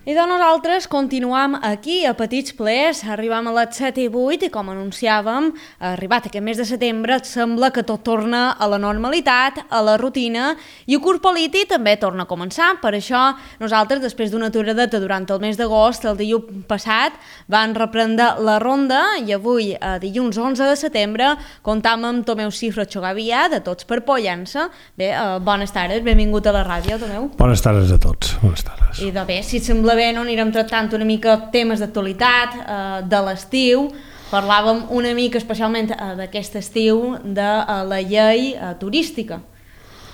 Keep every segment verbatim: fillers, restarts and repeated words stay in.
I de nosaltres continuam aquí a Petits Plaers, arribam a les set i vuit i com anunciàvem, arribat aquest mes de setembre, sembla que tot torna a la normalitat, a la rutina, i el curs polític també torna a començar. Per això nosaltres, després d'una aturadeta durant el mes d'agost, el dilluns passat, van reprendre la ronda i avui, dilluns onze de setembre, comptam amb Tomeu Cifra Xogavia, de Tots per Pollença. Bé, eh, bones tardes, benvingut a la ràdio, Tomeu. Bones tardes a tots, bones tardes. I de bé, si et sembla bé, no anirem tractant una mica temes d'actualitat, eh, de l'estiu. Parlàvem una mica especialment eh, d'aquest estiu de eh, la llei eh, turística,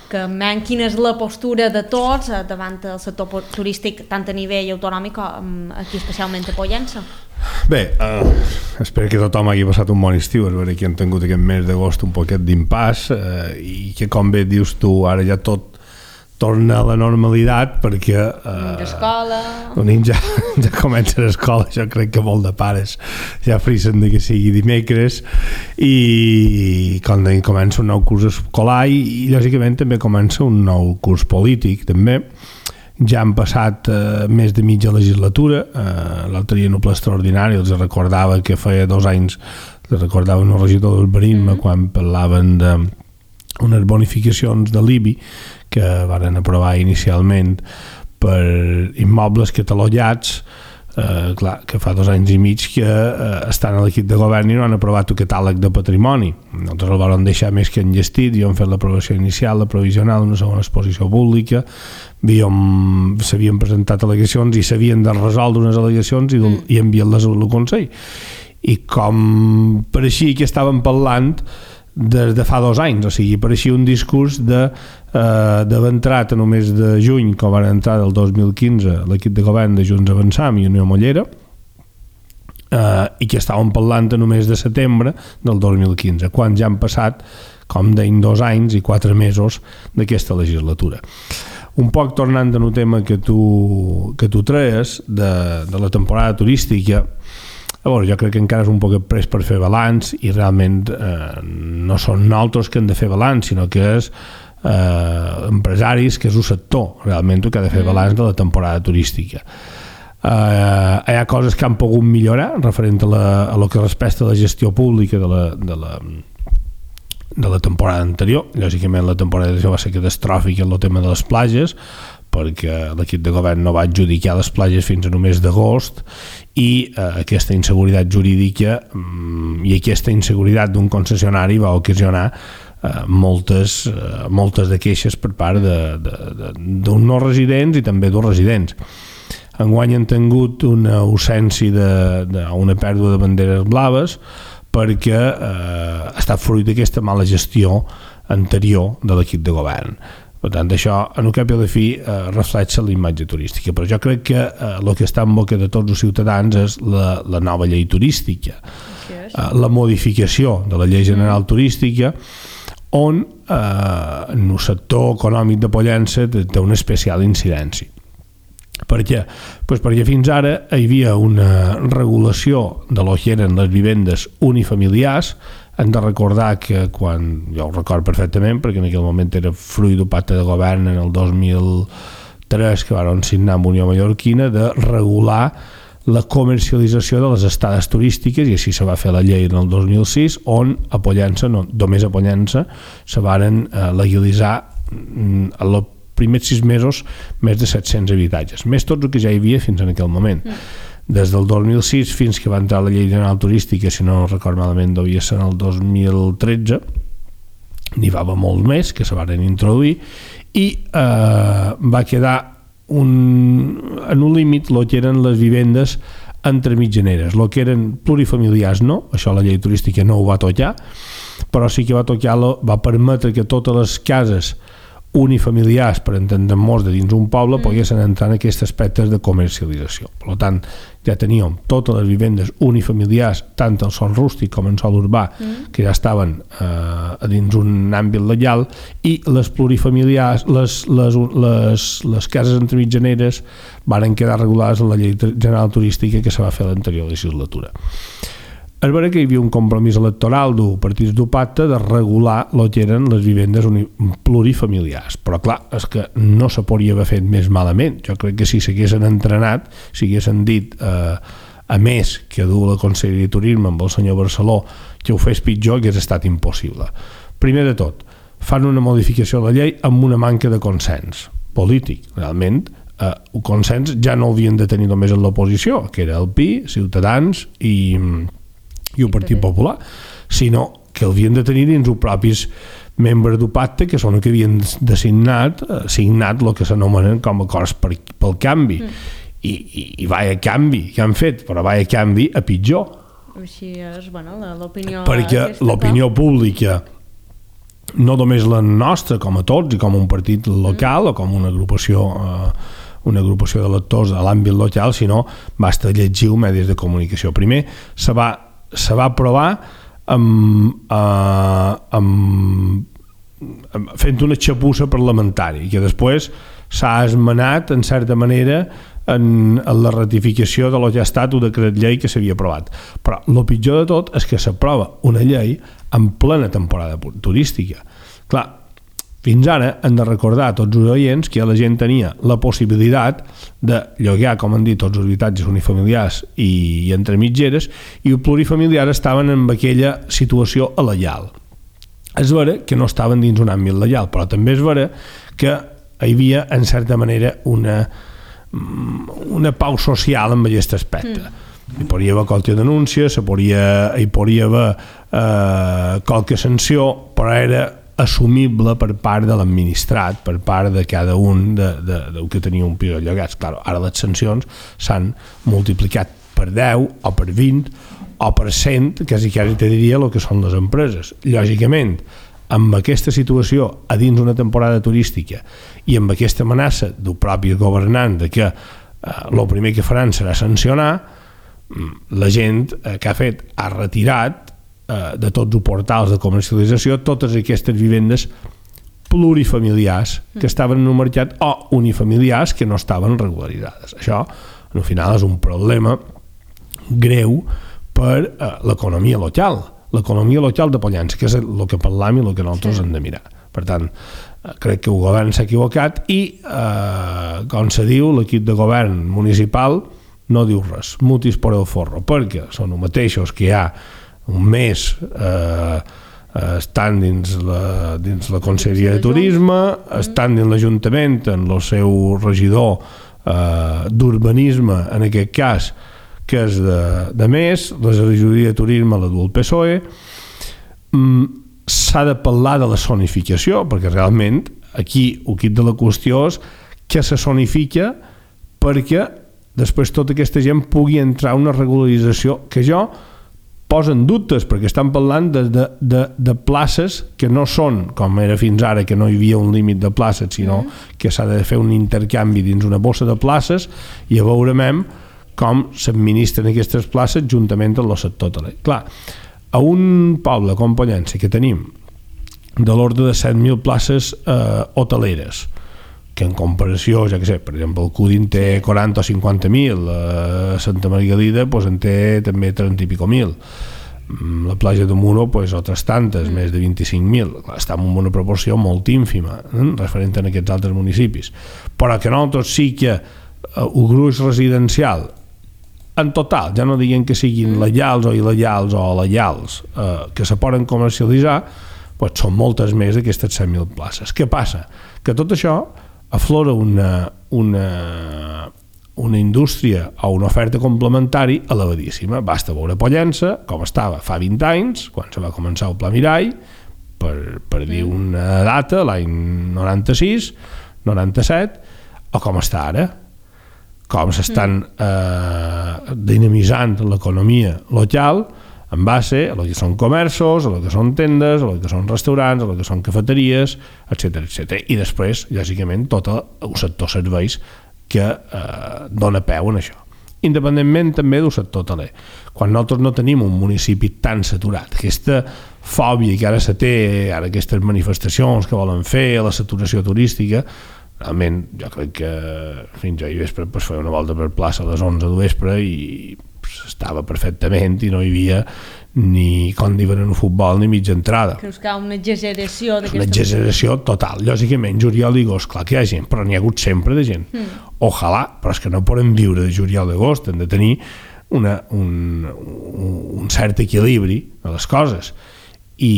que men quina és la postura de tots eh, davant del sector turístic tant a nivell autonòmic com aquí especialment a Pollença. Bé, uh, espero que tothom hagi passat un bon estiu, és veritat que hem tingut aquest mes d'agost un poquet d'impàs uh, i que, com bé dius tu, ara ja tot torna a la normalitat perquè uh, l'escola els nens ja, ja comencen l'escola. Jo crec que molt de pares ja frissen de que sigui dimecres i quan comença un nou curs escolar i, i lògicament també comença un nou curs polític també. Ja han passat eh, més de mitja legislatura. eh, l'altre dia en un ple extraordinari els recordava que feia dos anys els recordava un regidor d'urbanisme mm. quan parlaven de unes bonificacions de l'I B I que varen aprovar inicialment per immobles catalogats, eh, clar, que fa dos anys i mig que eh, estan a l'equip de govern i no han aprovat el catàleg de patrimoni. Nosaltres el vam deixar més que enllestit i hem fet l'aprovació inicial, la provisional, una segona exposició pública, s'havien presentat al·legacions i s'havien de resoldre unes al·legacions i, mm. i enviar-les al Consell. I com pareixia que estàvem parlant des de fa dos anys, o sigui, pareixia un discurs de eh, d'haver entrat a només de juny, com van entrar del dos mil quinze l'equip de govern de Junts Avançam i Unió Mollera, eh, i que estàvem parlant a només de setembre del dos mil quinze, quan ja han passat, com deien, dos anys i quatre mesos d'aquesta legislatura. Un poc tornant a un tema que tu, que tu treies de, de la temporada turística. A veure, jo crec que encara és un poc pres per fer balanç i realment eh, no són nosaltres que hem de fer balanç, sinó que és eh, empresaris, que és un sector realment que ha de fer balanç de la temporada turística. Eh, hi ha coses que han pogut millorar referent a, la, a lo que respecta a la gestió pública de la, de la, de la temporada anterior. Lògicament la temporada anterior va ser catastròfica en el tema de les platges, perquè l'equip de govern no va adjudicar les platges fins a només d'agost i eh, aquesta inseguretat jurídica mm, i aquesta inseguretat d'un concessionari va ocasionar eh, moltes, eh, moltes de queixes per part d'un no residents i també dos residents. Enguany han tingut una ausència d'una pèrdua de banderes blaves perquè eh, ha estat fruit d'aquesta mala gestió anterior de l'equip de govern. Per tant, això, en un cap i a la fi, eh, reflexa la imatge turística. Però jo crec que eh, el que està en boca de tots els ciutadans és la, la nova llei turística, eh, la modificació de la llei general turística, on eh, en el sector econòmic de Pollença té una especial incidència. Per què? Pues perquè fins ara hi havia una regulació de lo que eren les vivendes unifamiliars. Hem de recordar que quan, jo ho record perfectament perquè en aquell moment era fruit d'un pacte de govern en el dos mil tres que van signar amb Unió Mallorquina de regular la comercialització de les estades turístiques i així se va fer la llei en el dos mil sis on a Pollença, no, només a Pollença se varen eh, legalitzar en els primers sis mesos més de set-cents habitatges, més tot el que ja hi havia fins en aquell moment. Mm. Des del dos mil sis fins que va entrar la llei general turística, si no record malament devia ser en el dos mil tretze, n'hi va haver molt més que se van introduir i eh, va quedar un, en un límit el que eren les vivendes entre mitjaneres, el que eren plurifamiliars no, això la llei turística no ho va tocar, però sí que va tocar, va permetre que totes les cases unifamiliars, per entendre molts de dins un poble, mm. poguessin entrar en aquests aspectes de comercialització. Per tant, ja teníem totes les vivendes unifamiliars, tant en sol rústic com en sol urbà, mm. que ja estaven eh, dins un àmbit legal, i les plurifamiliars, les, les, les, les cases entre mitjaneres varen quedar regulades en la llei general turística que se va fer a l'anterior legislatura. és vera que hi havia un compromís electoral d'un partit d'un pacte de regular el que eren les vivendes plurifamiliars, però clar, és que no se podria haver fet més malament. Jo crec que si s'haguessin entrenat, si haguessin dit eh, a més que du la Conselleria de Turisme amb el senyor Barceló que ho fes pitjor, hagués estat impossible. Primer de tot, fan una modificació de la llei amb una manca de consens polític. Realment, eh, un consens ja no havien de tenir només en l'oposició, que era el P I, Ciutadans i, i el Partit Popular, sinó que havien de tenir dins els propis membres del pacte, que són els que havien designat, eh, signat el que s'anomenen com a acords per, pel canvi. Mm. I, i, i vaya canvi que han fet, però vaya canvi a pitjor. Així és, bueno, l'opinió... Perquè l'opinió pública, no només la nostra, com a tots, i com un partit local mm. o com una agrupació, eh, una agrupació d'electors a l'àmbit local, sinó basta llegir els medis de comunicació. Primer, se va, se va aprovar amb, eh, amb, amb, fent una xapussa parlamentària, que després s'ha esmenat, en certa manera, en, en la ratificació de lo que ha estat un decret llei que s'havia aprovat. Però el pitjor de tot és que s'aprova una llei en plena temporada turística. Clar, fins ara hem de recordar a tots els oients que la gent tenia la possibilitat de llogar, com han dit, tots els habitatges unifamiliars i, i entre mitgeres, i els plurifamiliars estaven en aquella situació alegal. És vera que no estaven dins un àmbit legal, però també és vera que hi havia, en certa manera, una una pau social en aquest aspecte. Mm. Hi podria haver qualque denúncia, se podria, hi podria haver eh, qualque sanció, però era assumible per part de l'administrat, per part de cada un de, de, de que tenia un pis llogats. Claro, ara les sancions s'han multiplicat per deu o per vint o per cent, quasi quasi te diria el que són les empreses. Lògicament, amb aquesta situació a dins una temporada turística i amb aquesta amenaça del propi governant de que el eh, primer que faran serà sancionar, la gent eh, que ha fet ha retirat eh, de tots els portals de comercialització totes aquestes vivendes plurifamiliars que estaven en un mercat o unifamiliars que no estaven regularitzades. Això, al final, és un problema greu per eh, l'economia local. L'economia local de Pollença, que és el que parlam i el que nosaltres sí. hem de mirar. Per tant, crec que el govern s'ha equivocat i, eh, com se diu, l'equip de govern municipal no diu res, mutis por el forro, perquè són els mateixos que hi ha un mes eh, estan dins la, dins la Conselleria de Turisme, estan dins l'Ajuntament, en el seu regidor eh, d'urbanisme, en aquest cas, que és de, de més, la regidoria de turisme la du el P S O E. Mm, s'ha de parlar de la zonificació, perquè realment aquí el quid de la qüestió és que se zonifica perquè després tota aquesta gent pugui entrar a una regularització que jo posen dubtes, perquè estan parlant de, de, de, de places que no són, com era fins ara, que no hi havia un límit de places, sinó mm. que s'ha de fer un intercanvi dins una bossa de places i a veurem com s'administren aquestes places juntament amb el sector hoteler. Clar, a un poble com Pollença que tenim de l'ordre de set mil places eh, hoteleres, que en comparació, ja que sé, per exemple, el Cúdin té quaranta o cinquanta mil, eh, Santa Margalida pues, en té també trenta i pico mil, la platja de Muro pues, altres tantes, mm. més de vint-i-cinc mil. Està en una proporció molt ínfima eh, referent a aquests altres municipis, però que nosaltres sí que eh, el gruix residencial en total, ja no diguem que siguin legals o il·legals o legals eh, que se poden comercialitzar, pues són moltes més d'aquestes set mil places. Què passa? Que tot això aflora una, una, una indústria o una oferta complementari elevadíssima. Basta veure Pollença com estava fa vint anys, quan se va començar el Pla Mirall, per, per dir una data, l'any noranta-sis, noranta-set, o com està ara, com s'estan eh, dinamitzant l'economia local en base a el que són comerços, a el que són tendes, a el que són restaurants, a el que són cafeteries, etcètera, etcètera. I després, lògicament, tot el sector serveis que eh, dona peu en això. Independentment també del sector hoteler. Quan nosaltres no tenim un municipi tan saturat, aquesta fòbia que ara se té, ara aquestes manifestacions que volen fer, la saturació turística, realment jo crec que fins ahir vespre pues, feia una volta per plaça a les onze del vespre i estava perfectament i no hi havia ni com diuen en el futbol ni mitja entrada. Creus que hi ha una exageració d'aquesta... Una exageració total. Lògicament, juliol i agost, clar que hi ha gent, però n'hi ha hagut sempre de gent. Mm. Ojalà, però és que no podem viure de juliol i agost, hem de tenir una, un, un cert equilibri de les coses. I,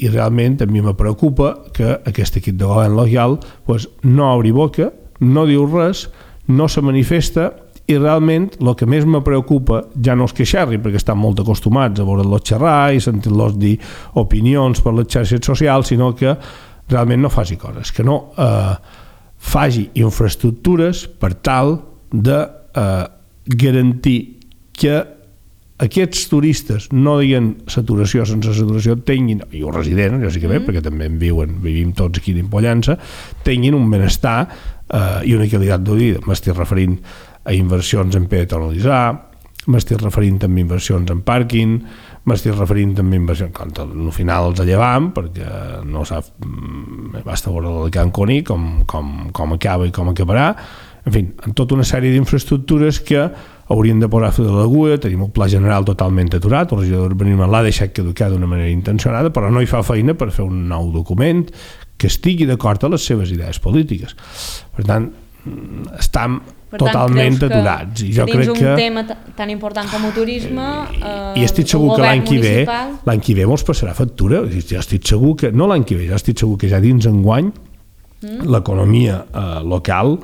i realment a mi me preocupa que aquest equip de govern local pues, no obri boca, no diu res, no se manifesta, i realment el que més me preocupa ja no és que xerri, perquè estan molt acostumats a veure-los xerrar i sentir-los dir opinions per les xarxes socials, sinó que realment no faci coses, que no eh, faci infraestructures per tal de eh, garantir que aquests turistes no diguen saturació sense saturació, tinguin, i els residents, lògicament, mm. perquè també en viuen, vivim tots aquí d'Impollança, tinguin un benestar eh, i una qualitat de vida. M'estic referint a inversions en peatonalitzar, m'estic referint també a inversions en pàrquing, m'estic referint també a inversions, quan al final els llevam, perquè no sap, basta veure el Can Coní, com, com, com acaba i com acabarà, en fi, en tota una sèrie d'infraestructures que haurien de posar fil de l'agulla. Tenim un pla general totalment aturat, el regidor d'Urbanisme l'ha deixat caducar d'una manera intencionada, però no hi fa feina per fer un nou document que estigui d'acord a les seves idees polítiques. Per tant, estem per tant, totalment aturats. I jo crec un que... tema tan important com el turisme... Eh, I estic segur que l'any que ve l'any que ve mos passarà factura. Jo estic segur que... No l'any que ve, jo estic segur que ja dins enguany mm. l'economia eh, local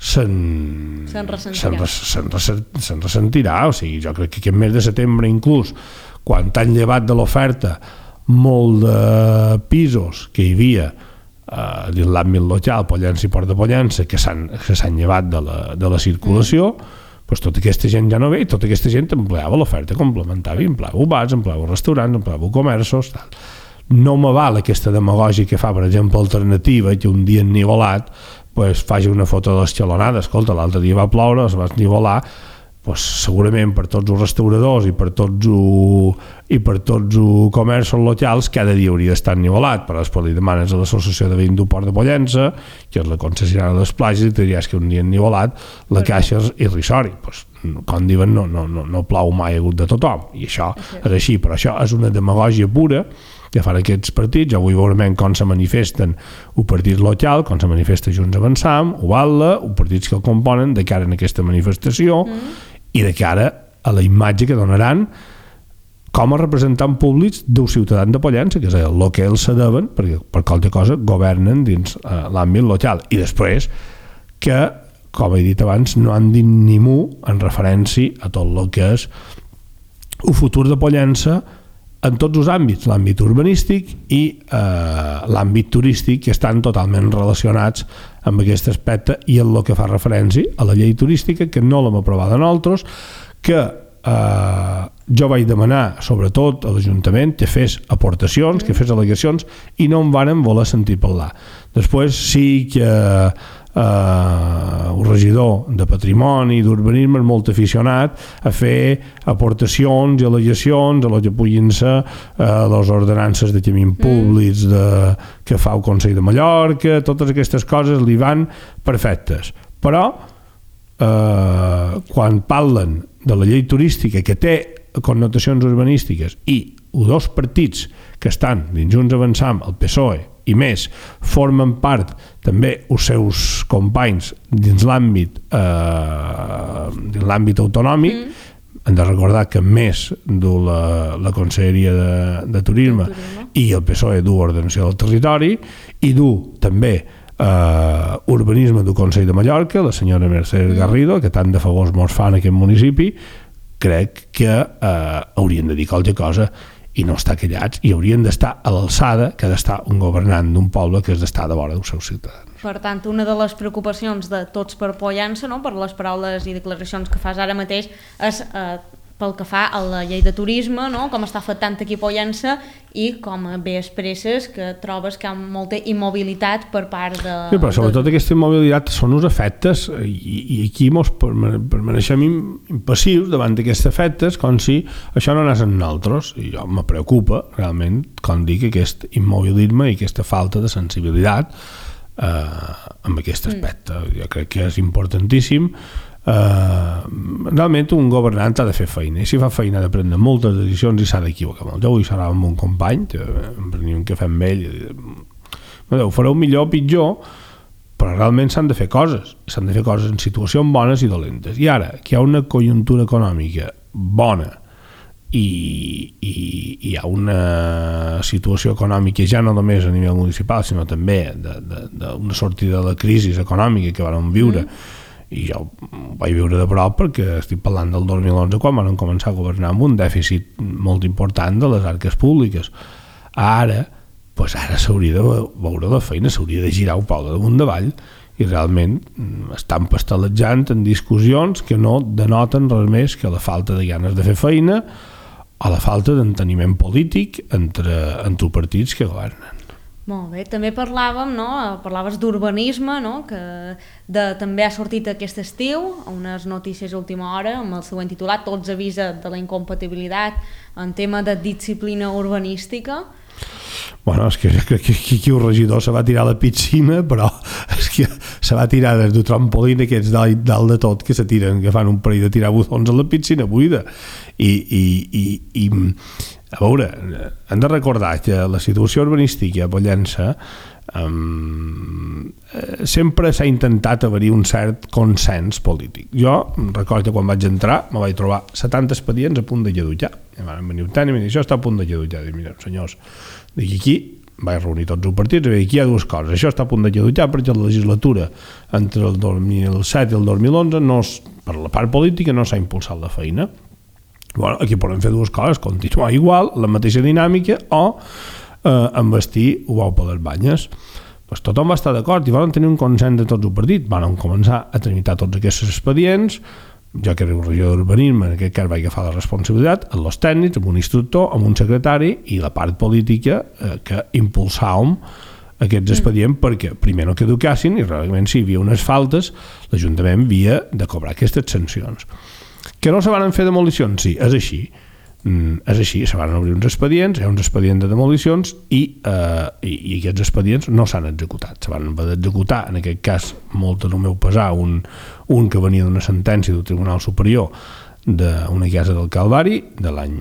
se'n se'n ressentirà. Se'n, se'n, se'n ressentirà. O sigui, jo crec que aquest mes de setembre inclús, quan t'han llevat de l'oferta molt de pisos que hi havia Uh, dins l'àmbit local, Pollença i Port de Pollença, que s'han, que s'han llevat de la, de la circulació, mm. pues tota aquesta gent ja no ve, i tota aquesta gent empleava l'oferta complementària, empleava bars, empleava restaurants, empleava comerços, tal. No me val aquesta demagògia que fa, per exemple, Alternativa, que un dia ennivolat pues, faci una foto de l'escalonada. Escolta, l'altre dia va ploure, es va ennivolar, pues, segurament per tots els restauradors i per tots els i per tots els comerços locals cada dia hauria d'estar ennivelat, però després li demanes a l'associació de veïns del Port de Pollença, que és la concessionària de les platges, i te diries que un dia ennivelat la caixa és irrisori. Pues, com diuen, no, no, no, no plau mai a hagut de tothom, i això és així, però això és una demagògia pura que fan aquests partits. Jo vull veure com se manifesten un partit local, com se manifesta Junts Avançam, o Batlle, o partits que el componen de cara a aquesta manifestació mm. i de cara a la imatge que donaran com a representants públics dels ciutadans de Pollença, que és el que ells se deuen, perquè per qualsevol cosa governen dins eh, l'àmbit local. I després que, com he dit abans, no han dit ni mu en referència a tot el que és el futur de Pollença en tots els àmbits, l'àmbit urbanístic i eh, l'àmbit turístic, que estan totalment relacionats amb aquest aspecte, i en el que fa referència a la llei turística, que no l'hem aprovada nosaltres, que eh, jo vaig demanar sobretot a l'Ajuntament que fes aportacions, que fes al·legacions, i no em varen voler sentir parlar. Després sí que eh, el regidor de Patrimoni i d'Urbanisme és molt aficionat a fer aportacions i al·legacions a lo que puguin ser eh, les ordenances de camins públics de, que fa el Consell de Mallorca. Totes aquestes coses li van perfectes, però eh, quan parlen de la llei turística, que té connotacions urbanístiques, i els dos partits que estan dins Junts Avançam, el P S O E i més, formen part també els seus companys dins l'àmbit eh, dins l'àmbit autonòmic, mm. hem de recordar que més du la, la Conselleria de, de Turisme, Turisme i el P S O E du Ordenació del Territori, i du també Uh, urbanisme del Consell de Mallorca, la senyora Mercedes Garrido, que tant de favors mos fa en aquest municipi. Crec que uh, haurien de dir qualque cosa i no estar callats, i haurien d'estar a l'alçada que ha d'estar un governant d'un poble que és d'estar de vora dels seus ciutadans. Per tant, una de les preocupacions de Tots per Pollença, no?, per les paraules i declaracions que fas ara mateix, és eh, pel que fa a la llei de turisme, no?, com està afectant aquí a Pollença, i com bé expresses que trobes que hi ha molta immobilitat per part de... Sí, però sobretot de... aquesta immobilitat són uns efectes, i, i aquí mos permaneixem impassius davant d'aquests efectes, com si això no anés en nosaltres, i jo me preocupa realment, com dic, aquest immobilisme i aquesta falta de sensibilitat eh, amb aquest aspecte. Mm. Jo crec que és importantíssim Uh, realment un governant ha de fer feina, i si fa feina ha de prendre moltes decisions i s'ha d'equivocar molt. Jo avui serà amb un company, em prenia un cafè amb ell, ho fareu millor o pitjor, però realment s'han de fer coses, s'han de fer coses en situacions bones i dolentes, i ara que hi ha una conjuntura econòmica bona i, i, i hi ha una situació econòmica ja no només a nivell municipal sinó també d'una sortida de la crisi econòmica que vam viure, mm. i jo ho vaig viure de prop perquè estic parlant del dos mil onze quan van començar a governar amb un dèficit molt important de les arques públiques. Ara, doncs ara s'hauria de veure la feina, s'hauria de girar un pau de damunt davall i realment estan pastelejant en discussions que no denoten res més que la falta de ganes de fer feina o la falta d'enteniment polític entre, entre partits que governen. Molt bé, també parlàvem, no? Parlaves d'urbanisme, no? Que de, també ha sortit aquest estiu unes notícies a última hora amb el següent titulat, tots avisen de la incompatibilitat en tema de disciplina urbanística. Bueno, és que crec que aquí el regidor se va tirar a la piscina, però és que se va tirar des del trampolín aquests dalt, dalt de tot que se tiren, que fan un parell de tirar botons a la piscina buida. I, i, i, i a veure, hem de recordar que la situació urbanística a Pollença um, sempre s'ha intentat haver-hi un cert consens polític. Jo recordo que quan vaig entrar me vaig trobar setanta expedients a punt de lledutjar. I van venir un tant i em dir, això està a punt de lledutjar. Dic, mira, senyors, dic, aquí vaig reunir tots els partits i vaig dir, aquí hi ha dues coses. Això està a punt de lledutjar perquè la legislatura entre el dos mil set i el dos mil onze no, per la part política no s'ha impulsat la feina. Bueno, aquí podem fer dues coses, continuar igual, la mateixa dinàmica, o eh, investir ho vau per les banyes. Pues tothom va estar d'acord i van tenir un consens de tots els partits. Van començar a tramitar tots aquests expedients, jo que era un regidor d'urbanisme, en aquest cas vaig agafar la responsabilitat, amb els tècnics, amb un instructor, amb un secretari i la part política eh, que impulsàvem aquests expedients mm. perquè primer no caducassin i realment si hi havia unes faltes l'Ajuntament havia de cobrar aquestes sancions. Que no se van fer demolicions? Sí, és així. Mm, és així, se van obrir uns expedients, hi ha uns expedients de demolicions i, eh, i, i aquests expedients no s'han executat. Se van haver d'executar, en aquest cas, molt en el meu pesar, un, un que venia d'una sentència del Tribunal Superior d'una casa del Calvari, de l'any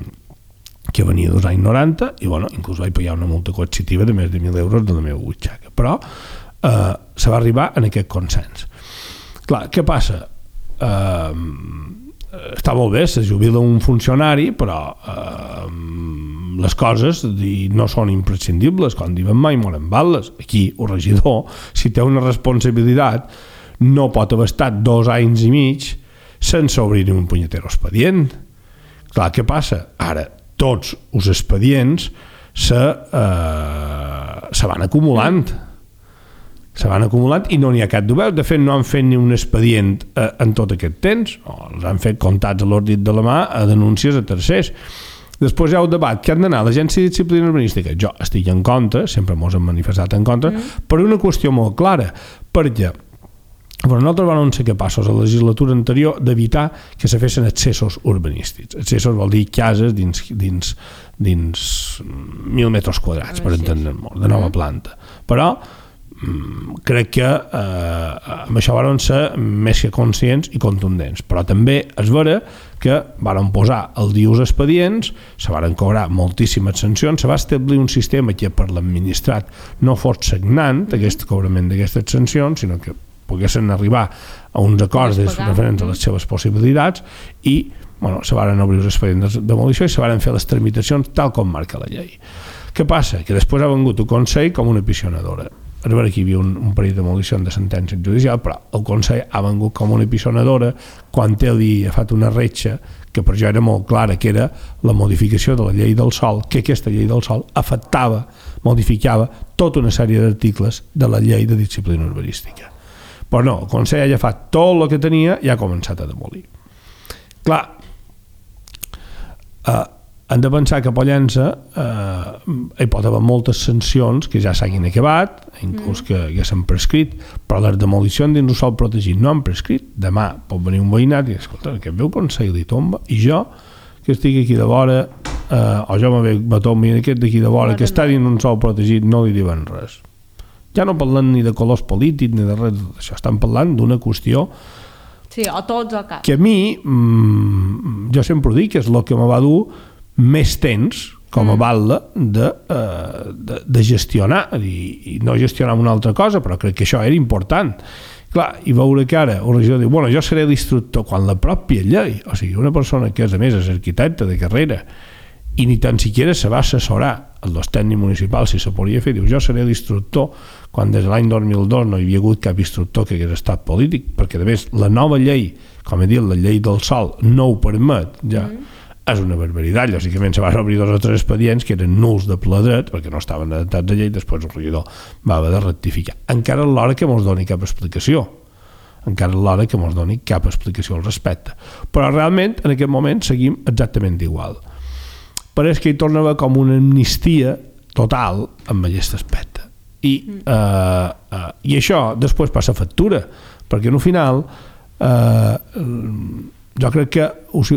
que venia dels anys noranta, i bueno, inclús vaig pagar una multa coercitiva de més de mil euros de la meva butxaca. Però eh, se va arribar en aquest consens. Clar, què passa? Eh, està molt bé, se jubila un funcionari, però eh, les coses no són imprescindibles, quan diuen mai moren bales. Aquí el regidor, si té una responsabilitat, no pot haver estat dos anys i mig sense obrir un punyetero expedient. Clar, què passa? Ara, tots els expedients se, eh, se van acumulant. Se van acumulant i no n'hi ha cap d'obert. De fet, no han fet ni un expedient eh, en tot aquest temps. O els han fet comptats a l'ordit de la mà a denúncies a tercers. Després hi ha el debat que han d'anar a l'Agència de Disciplina Urbanística. Jo estic en contra, sempre mos hem manifestat en contra, mm. per una qüestió molt clara. Perquè però nosaltres vam ser capaços a la legislatura anterior d'evitar que se fessin accessos urbanístics. Accessos vol dir cases dins, dins, dins mil metres quadrats, per entendre'ns molt, de nova planta. Però crec que eh, amb això van ser més que conscients i contundents, però també és vera que van posar el dia els expedients, se van cobrar moltíssimes sancions, se va establir un sistema que per l'administrat no fos sagnant aquest cobrament d'aquestes sancions, sinó que poguessin arribar a uns acords referents a les seves possibilitats i bueno, se van obrir els expedients de demolició i se van fer les tramitacions tal com marca la llei. Què passa? Que després ha vengut el Consell com una pisonadora. És vera que hi havia un, un parell de demolicions de sentència judicial, però el Consell ha vengut com una pisonadora quan ell li ha fet una retxa que per jo era molt clara, que era la modificació de la llei del sòl, que aquesta llei del sòl afectava, modificava tota una sèrie d'articles de la llei de disciplina urbanística. Però no, el Consell ha agafat tot el que tenia i ha començat a demolir. Clar, eh, hem de pensar que a Pollença eh, hi pot haver moltes sancions que ja s'hagin acabat, inclús que, que s'han prescrit, però les demolicions dins un sòl protegit no han prescrit. Demà pot venir un veïnat i dir, escolta, aquest veu Consell li tomba, i jo, que estic aquí de vora, eh, o jo me tombi aquest d'aquí de vora, que està dins un sòl protegit, no li diuen res. Ja no parlen ni de colors polítics ni de res d'això, estan parlant d'una qüestió Sí, o tots o cap. Que a mi, mmm, jo sempre ho dic, és el que me va dur més temps com a mm. batlle de, uh, de, de gestionar, i, i no gestionar una altra cosa, però crec que això era important. Clar, i veure que ara el regidor diu, bueno, jo seré l'instructor, quan la pròpia llei, o sigui, una persona que és, a més, és arquitecte de carrera, i ni tan siquiera se va assessorar als tècnics municipals si se podia fer, diu, jo seré l'instructor, quan des de l'any dos mil dos no hi havia hagut cap instructor que hagués estat polític, perquè a més la nova llei, com he dit, la llei del sòl no ho permet, ja mm. és una barbaritat. Lògicament se van obrir dos o tres expedients que eren nuls de ple dret perquè no estaven adaptats a llei, després el regidor va haver de rectificar. Encara és l'hora que mos doni cap explicació, encara és l'hora que mos doni cap explicació al respecte, però realment en aquest moment seguim exactament igual. Pareix que hi torna a haver com una amnistia total amb aquest aspecte i, mm. eh, eh, i això després passa factura, perquè en el final eh, jo crec que els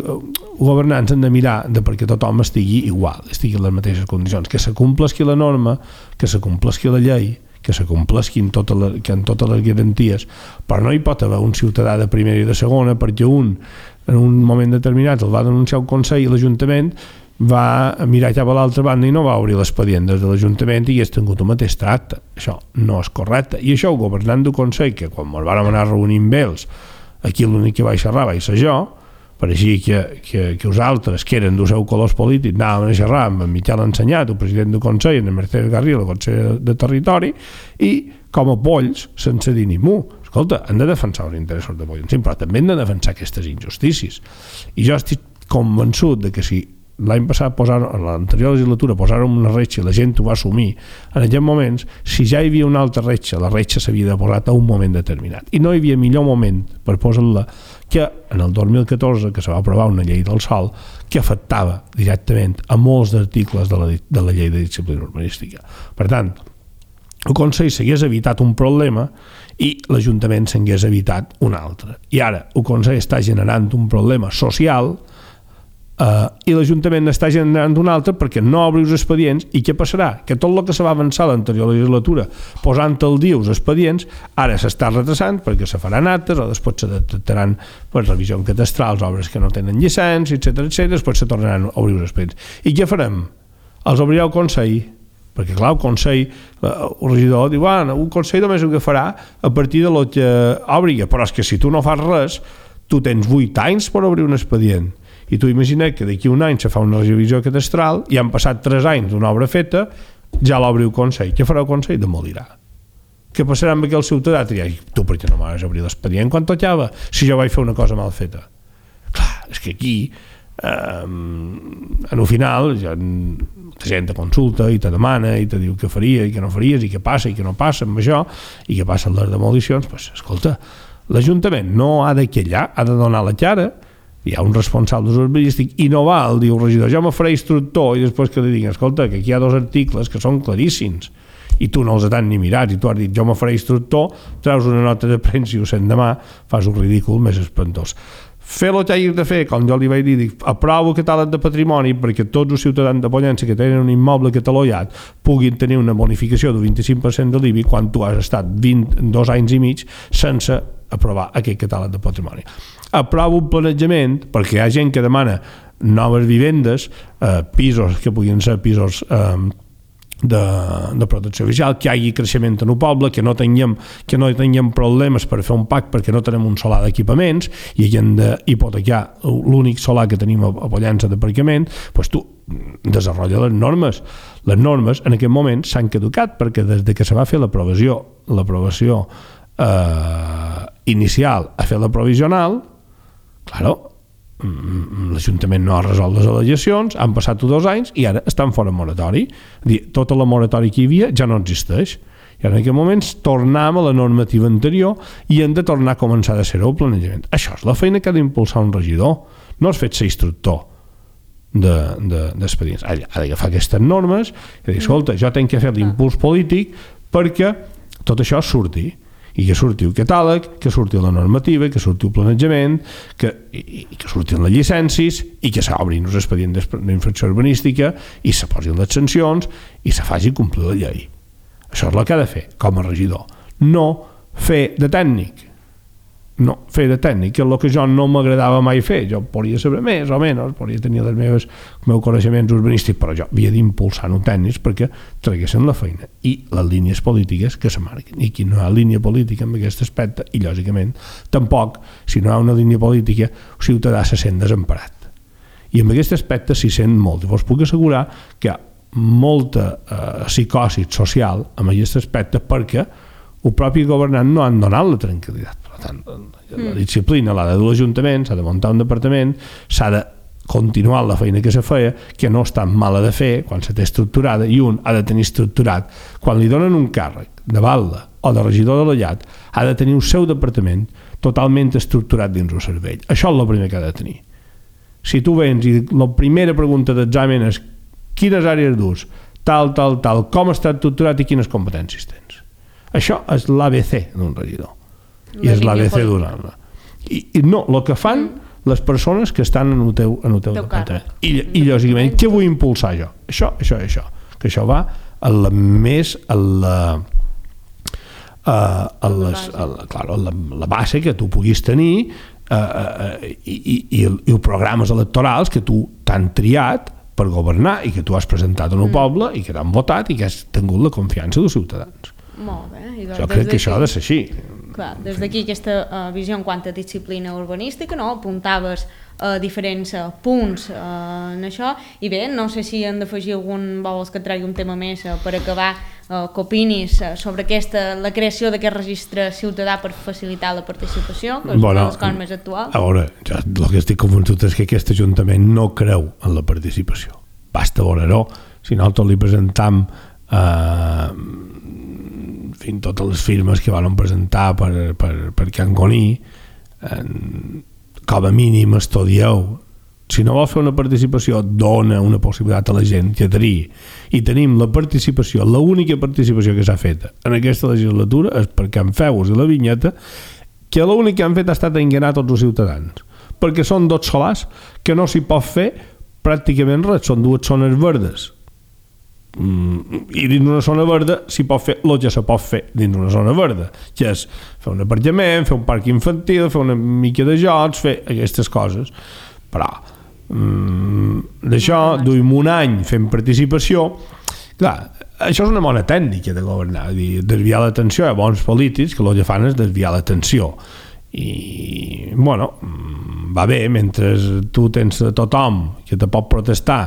governants han de mirar de perquè tothom estigui igual, estigui en les mateixes condicions, que s'acomplesqui la norma, que s'acomplesqui la llei, que s'acomplesquin totes les, que en totes les garanties, però no hi pot haver un ciutadà de primera i de segona perquè un en un moment determinat el va denunciar un consell i l'Ajuntament va mirar cap a l'altra banda i no va obrir l'expedient des de l'Ajuntament i és tingut un mateix tracte. Això no és correcte. I això el governant del Consell, que quan ens vam anar a reunir amb ells, aquí l'únic que vaig xerrar vaig ser jo, pareixia que, que, que els altres, que eren dels seus colors polítics, anàvem a xerrar amb en Miquel Ensenyat, el president del Consell, en Mercedes Garriga, el Consell de Territori, i com a polls, sense dir ni mu. Escolta, han de defensar els interessos de Pollencí, però també han de defensar aquestes injustícies. I jo estic convençut de que si l'any passat, posar, en l'anterior legislatura, posar-ho una retxa i la gent ho va assumir, en aquests moments, si ja hi havia una altra retxa, la retxa s'havia de posar a un moment determinat. I no hi havia millor moment per posar-la que en el dos mil catorze, que se va aprovar una llei del sòl que afectava directament a molts articles de la, de la llei de disciplina urbanística. Per tant, el Consell s'hagués evitat un problema i l'Ajuntament s'hagués evitat un altre. I ara el Consell està generant un problema social Uh, i l'Ajuntament està generant un altre perquè no obri els expedients. I què passarà? Que tot el que se va avançar a l'anterior legislatura posant al dia els expedients ara s'està retrasant perquè se faran actes o després se detectaran per revisió en catastrals obres que no tenen llicència, etcètera, etcètera, després se tornaran a obrir els expedients. I què farem? Els obrirà el Consell, perquè clar, el Consell, el regidor diu, ah, el Consell només ho que farà a partir de lo que obri, però és que si tu no fas res tu tens vuit anys per obrir un expedient. I tu imagina't que d'aquí un any se fa una revisió catastral i han passat tres anys d'una obra feta, ja l'obri el Consell. Què farà el Consell? Demolirà. Què passarà amb aquell ciutadà? Dirà, tu per què no m'has obrir l'expedient quan tocava si jo vaig fer una cosa mal feta? Clar, és que aquí eh, en el final ja, la gent te consulta i te demana i te diu què faria i què no faries i què passa i què no passa amb això i què passa amb les demolicions. Pues, escolta, l'Ajuntament no ha de quillar, ha de donar la cara. Hi ha un responsable urbanístic i no val, diu el regidor, jo me faré instructor i després que li diguin, escolta, que aquí hi ha dos articles que són claríssims i tu no els has ni mirat i tu has dit, jo me faré instructor, treus una nota de premsa i ho sent demà, fas un ridícul més espantós. Fer el que hagis de fer, com jo li vaig dir, dic, aprovo el catàleg de patrimoni perquè tots els ciutadans de Pollença que tenen un immoble catalogat puguin tenir una bonificació del vint-i-cinc per cent de l'I B I quan tu has estat vint, dos anys i mig sense aprovar aquest catàleg de patrimoni. Aprovo un planejament perquè hi ha gent que demana noves vivendes, eh, pisos que puguin ser pisos eh, de, de protecció oficial, que hi hagi creixement en el poble, que no tinguem, que no tinguem problemes per fer un pack perquè no tenim un solar d'equipaments i hem d'hipotecar l'únic solar que tenim a Pollença d'aparcament, doncs tu desenvolupa les normes. Les normes en aquest moment s'han caducat perquè des de que se va fer l'aprovació l'aprovació eh, inicial a fer la provisional, claro, l'Ajuntament no ha resolt les al·legacions, han passat dos anys i ara estan fora moratori. Tota la moratòria que hi havia ja no existeix. I en aquest moment tornem a la normativa anterior i hem de tornar a començar a ser el planejament. Això és la feina que ha d'impulsar un regidor. No has fet ser instructor d'expedients. De, de, ha d'agafar aquestes normes i dir, escolta, jo tenc que fer l'impuls polític perquè tot això surti. I que surti el catàleg, que surti la normativa, que surti el planejament, que, i, i que surtin les llicències i que s'obrin els expedients d'infracció urbanística i se posin les sancions i se faci complir la llei. Això és el que ha de fer com a regidor. No fer de tècnic. no, fer de tècnic, que és el que jo no m'agradava mai fer. Jo podria saber més o menys, podria tenir els meus, els meus coneixements urbanístics, però jo havia d'impulsar-ho tècnics perquè traguessin la feina i les línies polítiques que se marquen. I aquí no hi ha línia política en aquest aspecte i, lògicament, tampoc, si no hi ha una línia política, el ciutadà se sent desemparat. I en aquest aspecte s'hi sent molt. I vos puc assegurar que hi ha molta eh, psicosi social en aquest aspecte perquè el propi governant no han donat la tranquil·litat. Per tant, la disciplina l'ha de dur l'Ajuntament, s'ha de muntar un departament, s'ha de continuar la feina que se feia, que no és tan mala de fer quan se té estructurada, i un ha de tenir estructurat. Quan li donen un càrrec de batlle o de regidor de la llat, ha de tenir el seu departament totalment estructurat dins el cervell. Això és el primer que ha de tenir. Si tu vens i la primera pregunta d'examen és quines àrees dus, tal, tal, tal, com està estructurat i quines competències tens. Això és l'A B C d'un regidor. I és l'A B C d'un altre. I, I no, el que fan les persones que estan en el teu, en el teu, teu departament. I, I lògicament, què vull impulsar jo? Això, això i això. Que això va a la més... a la, a, a les, a la, clar, a la, la base que tu puguis tenir uh, uh, i, i, i, i els programes electorals que tu t'han triat per governar i que tu has presentat en el mm. poble i que t'han votat i que has tingut la confiança dels ciutadans. Molt bé. I jo crec que això ha de ser així. Clar, des d'aquí aquesta uh, visió en quant a disciplina urbanística, no? Apuntaves uh, diferents uh, punts uh, en això, i bé, no sé si hem d'afegir algun, vols que et tregui un tema més uh, per acabar, uh, que opinis uh, sobre aquesta, la creació d'aquest registre ciutadà per facilitar la participació, que és bueno, una de les coses més actuals. A veure, jo el que estic convençut és que aquest Ajuntament no creu en la participació. Basta veure-ho. Si nosaltres li presentam eh, en fi, totes les firmes que van presentar per, per, per Can Goní, en, com a mínim estudieu. Si no vol fer una participació, dona una possibilitat a la gent que adherir. I tenim la participació, l'única participació que s'ha fet en aquesta legislatura és per Can Feus i la Vinyeta, que l'únic que han fet ha estat enganar tots els ciutadans. Perquè són dos solars que no s'hi pot fer pràcticament res, són dues zones verdes. Mm, i dins una zona verda s'hi pot fer el que se pot fer dins una zona verda, que és fer un aparcament, fer un parc infantil, fer una mica de jocs, fer aquestes coses. Però mm, d'això duim un any fent participació. Clar, això és una bona tècnica de governar, dir, desviar l'atenció. Hi ha bons polítics que el que fan és desviar l'atenció i bueno, va bé mentre tu tens a tothom que te pot protestar,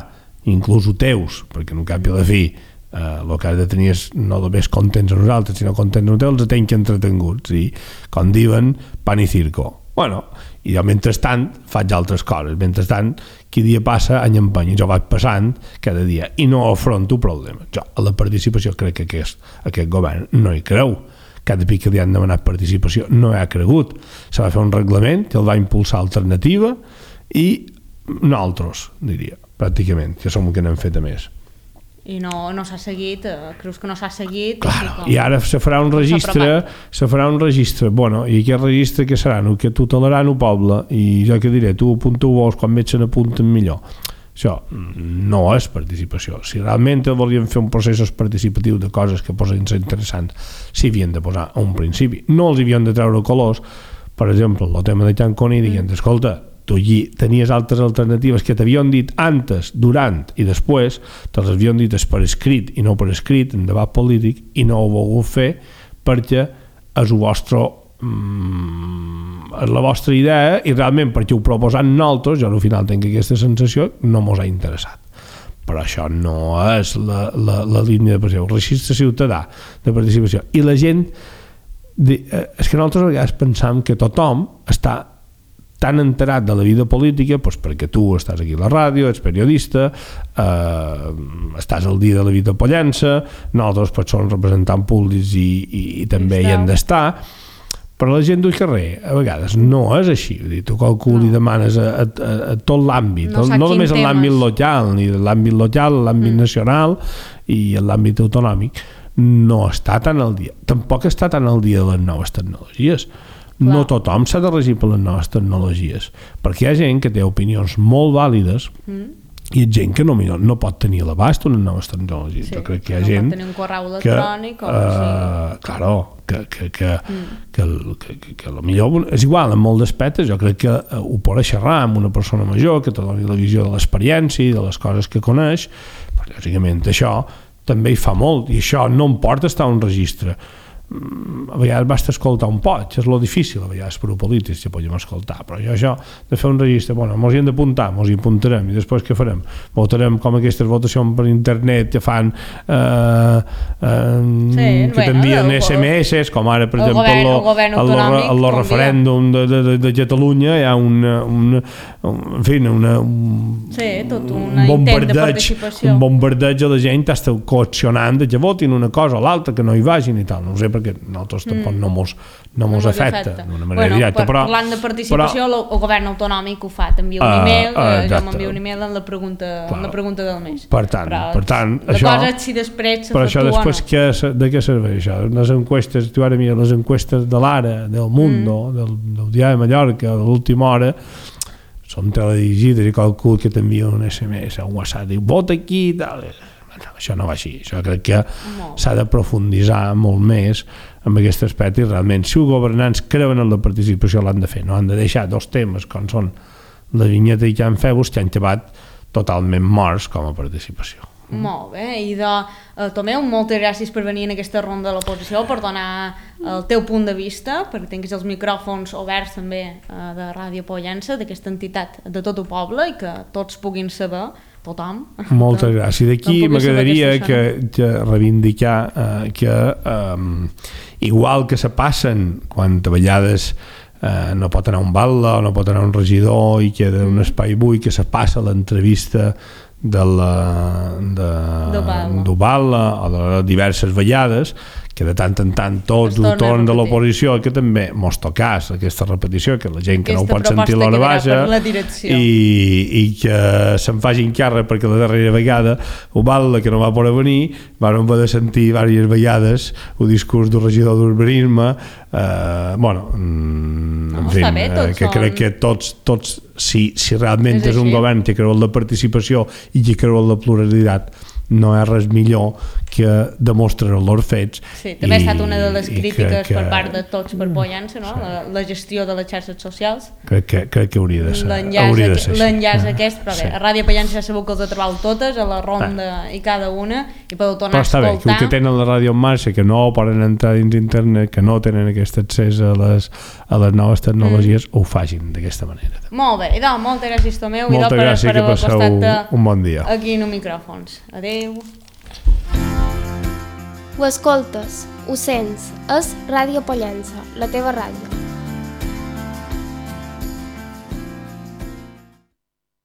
inclús ho teus, perquè en un cap i a la fi eh, el que has de tenir és no només contents a nosaltres, sinó contents a nosaltres, els tenc entretenguts, i com diuen, pan i circo. Bueno, i jo mentrestant faig altres coses, mentrestant qui dia passa any empeny, jo vaig passant cada dia i no afronto problemes. Jo a la participació crec que aquest, aquest govern no hi creu. Cada pic que li han demanat participació no hi ha cregut. Se va fer un reglament que el va impulsar Alternativa i nosaltres, diria, pràcticament, que som el que n'hem fet a més. I no, no s'ha seguit, eh, creus que no s'ha seguit? Claro, com... I ara se farà un registre, se farà un registre, bueno, i aquest registre que serà? El que tutelaran el poble, i jo que diré, tu apunta-ho quan veig se n'apunten millor. Això no és participació. Si realment volien fer un procés participatiu de coses que posen ser interessants, s'hi havien de posar a un principi. No els havien de treure colors. Per exemple, el tema de Can Goní, dient, escolta, tu allí tenies altres alternatives que t'havien dit antes, durant i després, te'ls havien dit per escrit i no per escrit, en debat polític, i no ho heu volgut fer perquè és el vostre mm, és la vostra idea i realment perquè ho proposant nosaltres, jo al final tinc aquesta sensació, no mos ha interessat. Però això no és la, la, la línia de participació, el registre ciutadà de participació. I la gent, de, eh, és que nosaltres a vegades pensam que tothom està tan enterat de la vida política doncs perquè tu estàs aquí a la ràdio, ets periodista, eh, estàs al dia de la vida pollença, nosaltres doncs som representants públics i, i, i també hi hem d'estar, però la gent del carrer a vegades no és així. Vull dir, tu qualcú no. li demanes a, a, a tot l'àmbit, no, no només en l'àmbit local, ni l'àmbit local, l'àmbit mm. nacional i l'àmbit autonòmic, no està tan al dia. Tampoc està tan al dia de les noves tecnologies. Clar. No tothom s'ha de regir per les noves tecnologies, perquè hi ha gent que té opinions molt vàlides mm. hi ha gent que no, no pot tenir a l'abast unes noves tecnologies. Sí, jo crec que hi ha no gent pot tenir un correu electrònic que, o uh, sí. claro, que, que, que, mm. que, que, que, que millor és igual en molts aspectes. Jo crec que ho podrà xerrar amb una persona major que te doni la visió de l'experiència i de les coses que coneix, però lògicament això també hi fa molt, i això no em porta a estar a un registre. A vegades basta escoltar un poc, és lo difícil a vegades per polítics que podem escoltar, però jo això de fer un registre, bueno, mos hi hem d'apuntar, mos hi apuntarem i després què farem? Votarem com aquestes votacions per internet que fan eh, eh, sí, que t'envien bueno, esse eme esse, com ara per el exemple govern, el govern autonòmic, el, el, el referèndum de, de, de, de Catalunya hi ha una, una, en fi, una, un, sí, tot una un intent de participació, un bombardeig a la gent està coaccionant que votin una cosa o l'altra, que no hi vagin i tal, no ho sé perquè nosaltres tampoc mm. no mos, no mos no afecta d'una manera bueno, directa. Per, però, parlant de participació, però, el govern autonòmic ho fa, t'envia un uh, e-mail, uh, uh, jo m'envio un e-mail en la pregunta, en la pregunta del mes. Per tant, però, per tant la això, cosa és si després però això després no. que, de què serveix això? Les enquestes, tu ara mira, les enquestes de l'Ara, del Mundo, mm. del, del Diari de Mallorca, de l'última hora, són teledirigides i qualcú que t'envia un esse eme esse, un WhatsApp, diu, vota aquí i tal. No, això no va així, això crec que s'ha de profunditzar molt més en aquest aspecte i realment si els governants creuen en la participació l'han de fer, no han de deixar dos temes com són la vinyeta i Can Febus que han acabat totalment morts com a participació. Mm. Molt bé, i de uh, Tomeu, moltes gràcies per venir en aquesta ronda de l'oposició, per donar el teu punt de vista, perquè tinguis els micròfons oberts també uh, de Ràdio Pollença, d'aquesta entitat de tot el poble i que tots puguin saber, tothom. Moltes gràcies. D'aquí m'agradaria que, que reivindicar eh, que eh, igual que se passen quan a vegades eh, no pot anar un batlle o no pot anar un regidor i queda un espai buit, que se passa l'entrevista de la d'Ovala o de diverses vegades, que de tant en tant tots ho torn de l'oposició, que també mos tocàs aquesta repetició, que la gent que aquesta no ho pot sentir l'hora baixa i, i que se'n facin càrrec perquè la darrera vegada Ovala, que no va poder venir, vam haver de sentir diverses vegades el discurs del regidor d'urbanisme, eh, bueno en no, fi, bé, que són... crec que tots, tots si, si realment és, és un govern que creu en la participació i que creu en la pluralitat, no és res millor que demostrar els fets. Sí, també i, ha estat una de les crítiques que, que, per part de tots per Pollença, no? Sí. La, la gestió de les xarxes socials. Crec que, crec que hauria de ser. L'enllaç aquest, però bé, sí. A Ràdio Pollença ja sabeu que els ha trobat totes, a la ronda ah. i cada una, i podeu tornar a escoltar. Però està bé, que tenen la ràdio en marxa, que no poden entrar dins internet, que no tenen aquest accés a les, a les noves tecnologies, mm. ho facin d'aquesta manera. Molt bé, i doncs, moltes gràcies Tomeu, moltes i gràcies, per, per haver costat un bon dia. Aquí en els micròfons. Adéu. Ho escoltes, ho sents, és Ràdio Pollença, la teva ràdio.